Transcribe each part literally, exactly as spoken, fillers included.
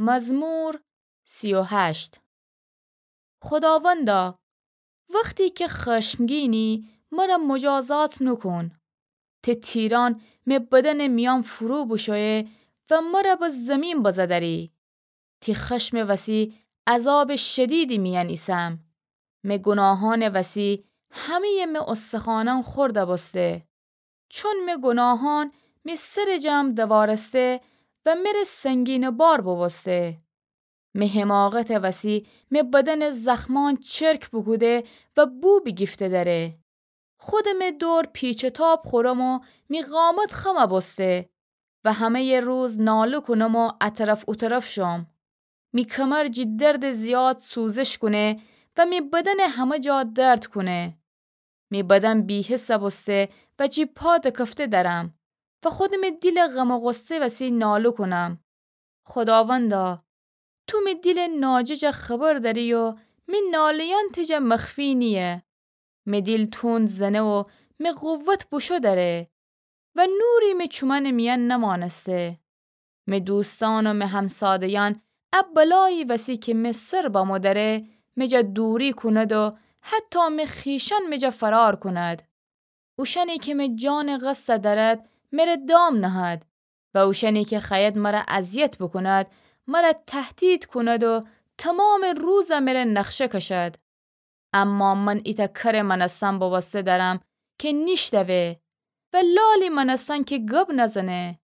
مزمور سی و هشت. خوداوندا، وختی کی خشمگینی، مر مجازات نوکون. تی تیرأن می بدنٚ میأن فرو بوشویه و مر به زیمین بزه دری. تی خشمٚ وسی عذابٚ شدیدی میأن ایسم. می گوناهأنٚ وسی همه‌یٚ می استخوأنأن خورد بوسته. چون می گوناهأن می سرٚ جم دوارسته و مر سنگینٚ بار بوبوسته. می حماقتٚ وسی می بدنٚ زخمأن چرک بوکوده و بو بیگیفته دره. خودم می دور پیچ و تاب خورم و می قامت خم بوسته و همه‌یٚ روز ناله کونم و اطرف اوطرف شوم. می کمر جی دردٚ زیاد سوزش کونه و می بدنٚ همه جا درد کونه. می بدن بی‌حس بوسته و جی پا دکفته درم و خودم می دیلٚ غم و غصه وسی ناله کونم. خوداوندا، تو می دیلٚ ناجه جا خبر دری و می ناله‌یأن تی جا مخفی نییه. می دیل توند زنه و می قوت بوشو دره و نوری می چومأنٚ میأن نمأنسته. می دوستأن و می همساده‌یأن ا بلایی وسی کی می سر بمو دره، می جا دوری کوند و حتی می خویشأن می جا فرار کوند. اوشأنی کی می جانٚ قصد دأرد، مر دام نهد و اوشأنی کی خوأید مر اذیت بوکوند، مر تهدید کوند و تومامٚ روز مر نقشه کشد. اما من ایتأ کرٚ مأنستن بوسته دأرم کی نیشتوه و لالی مأنستن کی گب نزنه.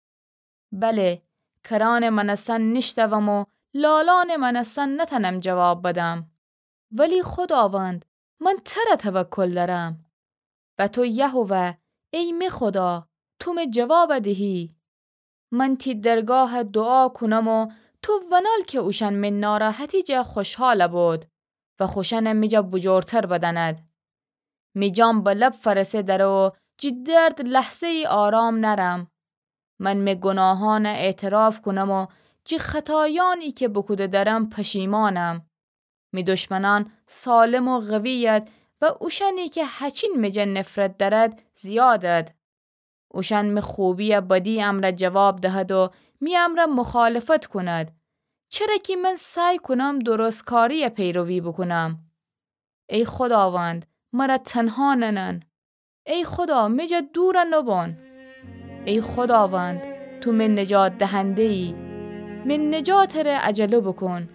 بله، کرأنٚ مأنستن نیشتوم و لالأنٚ مأنستن نتأنم جواب بدم. ولی خوداوند، من تر توکل دأرم. و تو یهوه، ای می خودا، تو می جواب دهی. من تی درگاه دوعا کونم و تو ونال کی اوشأن می ناراحتی جا خوشحال بود و خوشأن می جا بجورتر بدأند. می جان به لب فرسه دره و جی درد لحظه‌یی آرام نأرم. من می گوناهأن اعتراف کونم و جی خطایأنی کی بوکوده دأرم پشیمأنم. می دشمنأن سالم و قویید و اوشأنی کی هچین می جا نفرت دأرد زیادید. اوشأن می خوبی بدی امرأ جواب دهد و می امرأ مخالفت کوند. چره کی من سعی کونم درستکاری پیروی بوکونم. ای خوداوند، مر تنها ننن. ای خودا، می جا دور نبون. ای خوداوند، تو می نجات دهنده‌یی. می نجاتٚ ره عجله بوکون.